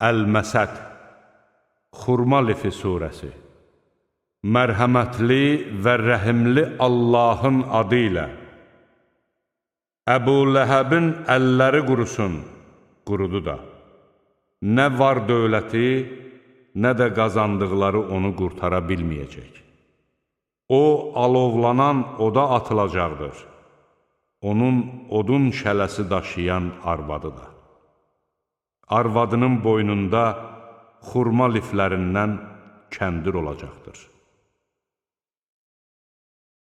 Əl-Məsəd, Xurma lifi surəsi. Mərhəmətli və rəhimli Allahın adı ilə. Əbu Ləhəbin əlləri qurusun, qurudu da. Nə var dövləti, nə də qazandıqları onu qurtara bilməyəcək. O, alovlanan oda atılacaqdır. Onun odun şələsi daşıyan arvadı da. Arvadının boynunda xurma liflərindən kəndir olacaqdır.